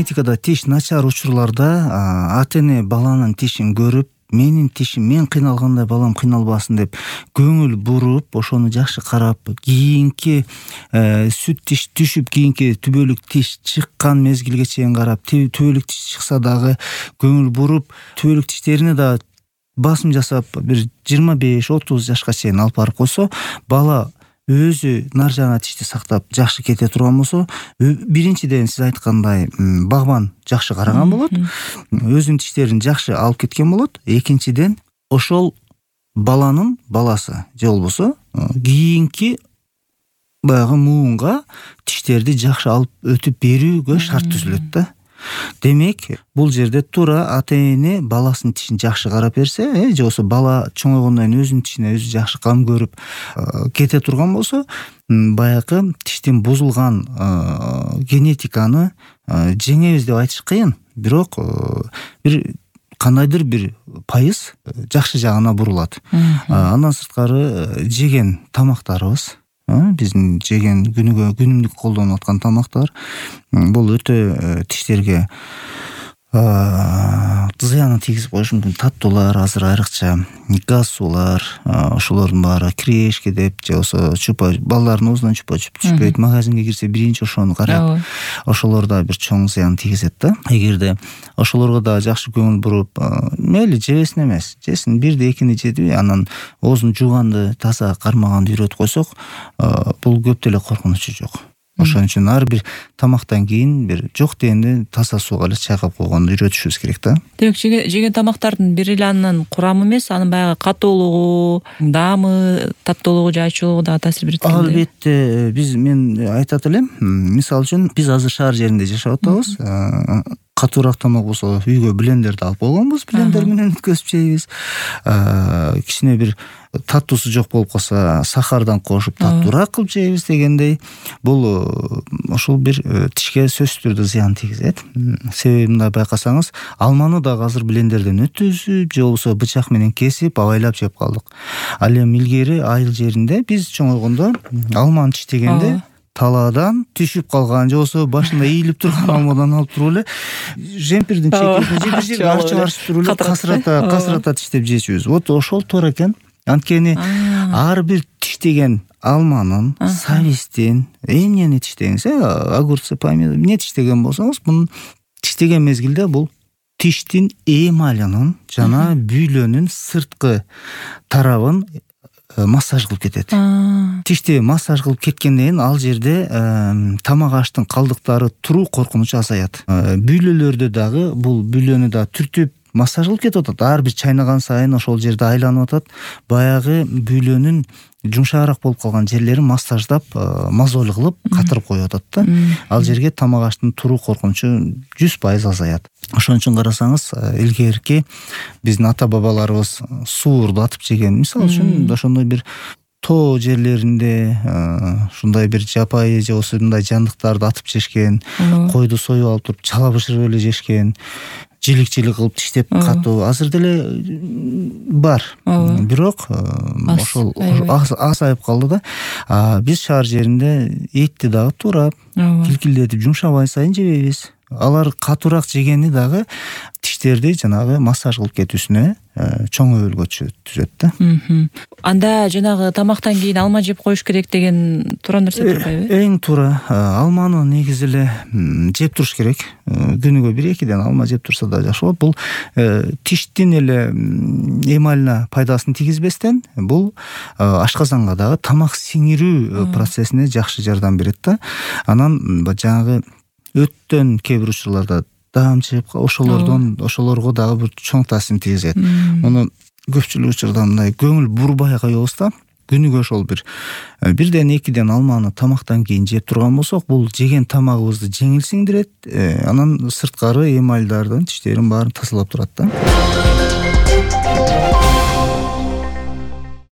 генетикада тиш начар учурларда ата эне баланын тишин көрүп, мен кыйналганда балам кыйналбасын деп көңүл буруп, ошону жакшы карап, кийинки сүт тиш түшүп, кийинки түбөлүк тиш чыккан мезгилге чейин карап, түбөлүк тиш чыкса дагы көңүл буруп, түбөлүк тиштерине да басым жасап, бир 25-30 жашка чейин алып барып койсо, бала өзү нар жана тишти сактап жакшы кете турган болсо, биринчиден сиз айткандай багбан жакшы караган болот, өзүнүн тиштерин жакшы алып кеткен болот. Экинчиден, ошол баланын баласы же болбосо кийинки баягы муунга тиштерди жакшы алып өтүп берүүгө шарт түзүлөт да. Демек, бул жерде туура ата эне баласынын тишин жакшы карап берсе, же болбосо бала чоңойгондон кийин өзүнүн тишине өзү жакшы кам көрүп кете турган болсо, баягы тиштин бузулган генетиканы жеңебиз деп айтыш кыйын. Бирок бир кандайдыр бир пайыз жакшы жагына бурулат. Андан сырткары жеген тамактарыбыз, биздин жеген күнүмдүк колдонуп аткан тамактар бул өтө тиштерге зыянын тийгизип коюшу мүмкүн. Таттуулар, азыр айрыкча газ суулар, ошолордун баары крешки деп, же болбосо балдардын оозунан чупа-чуп түшпөйт. Магазинге кирсе биринчи ошону карайт. Ошолор да бир чоң зыян тийгизет да. Эгерде ошолорго да жакшы көңүл буруп, мейли жебесин эмес, жесин, бирди экини жеди, анан оозун жууганды, таза кармаганды үйрөтүп койсок, бул көп деле коркунучу жок. Ошон үчүн ар бир тамактан кийин бир жок дегенде таза сууга эле чайкап койгонду үйрөтүшүбүз керек да. Демек, жеген тамактардын бир эле анын курамы эмес, анын баягы катуулугу, даамы, таттуулугу же ачуулугу да таасир берет экен. Албетте, мен айтат элем, мисалы үчүн биз азыр шаар жеринде жашап атабыз. Катуураак тамак болсо үйгө блендерди алып койгонбуз, блендер менен өткөзүп жейбиз. Кичине бир таттуусу жок болуп калса, сахардан кошуп таттуураак кылып жейбиз дегендей. Бул ошол бир тишке сөзсүз түрдө зыян тийгизет. Себеби мындай байкасаңыз, алманы дагы азыр блендерден өткөзүп, же болбосо бычак менен кесип, абайлап жеп калдык. Ал эми илгери айыл жеринде биз чоңойгондо алманы тиштегенде талаадан түшүп калган, же болбосо башында ийилип турган алмадан алып туруп эле жемпирдин чекесине же бир жерге арчып туруп эле касырата тиштеп жечүбүз. Вот ошол туура экен. Анткени ар бир тиштеген алманын, сабиздин, эмнени тиштеңиз, огурцы, помидор, эмне тиштеген болсоңуз, мунун тиштеген мезгилде бул тиштин эмалинин жана бүйлөнүн сырткы тарабын массаж кылып кетет. Тишти массаж кылып кеткенден кийин ал жерде тамак аштын калдыктары туруу коркунучу азаят. Бүйлөлөрдө дагы бул бүйлөнү да түртүп массаж кылып кетип атат. Ар бир чайнаган сайын ошол жерде айланып атат. Баягы бүйлөнүн жумшаараак болуп калган жерлерин массаждап, мозоль кылып катырып коюп атат да. Ал жерге тамак аштын туруу коркунучу 100% азаят. Ошон үчүн карасаңыз, илгерки биздин ата-бабаларыбыз суурду атып жеген. Мисалы үчүн ошондой бир тоо жерлеринде ушундай бир жапайы же болбосо мындай жандыктарды атып жешкен, койду союп алып туруп чала бышырып эле жешкен, жилик кылып тиштеп катуу азыр деле бар. Бирок ошол азайып калды да. Биз шаар жеринде этти дагы туурап, килкилдетип жумшабай сайын жебейбиз. Алар катуураак жегени дагы тиштерди жанагы массаж кылып кетүүсүнө чоң өбөлгө түзөт да. Анда жанагы тамактан кийин алма жеп коюш керек деген туура нерсе турбайбы? Эң туура. Алманы негизи эле жеп туруш керек. Күнүгө 1-2ден алма жеп турса да жакшы болот. Бул тиштин эле эмалине пайдасын тийгизбестен, бул ашказанга дагы тамак сиңирүү процессине жакшы жардам берет да. Анан жанагы өттөн кээ бир учурларда даам чыгып, ошолорго дагы бир чоң таасирин тийгизет. Муну көпчүлүк учурда мындай көңүл бурбай коебуз да. Күнүгө ошол бирден 2ден алманы тамактан кийин жеп турган болсок, бул жеген тамагыбызды жеңил сиңдирет, анан сырткары эмальдардын, тиштерин баарын тазалап турат да.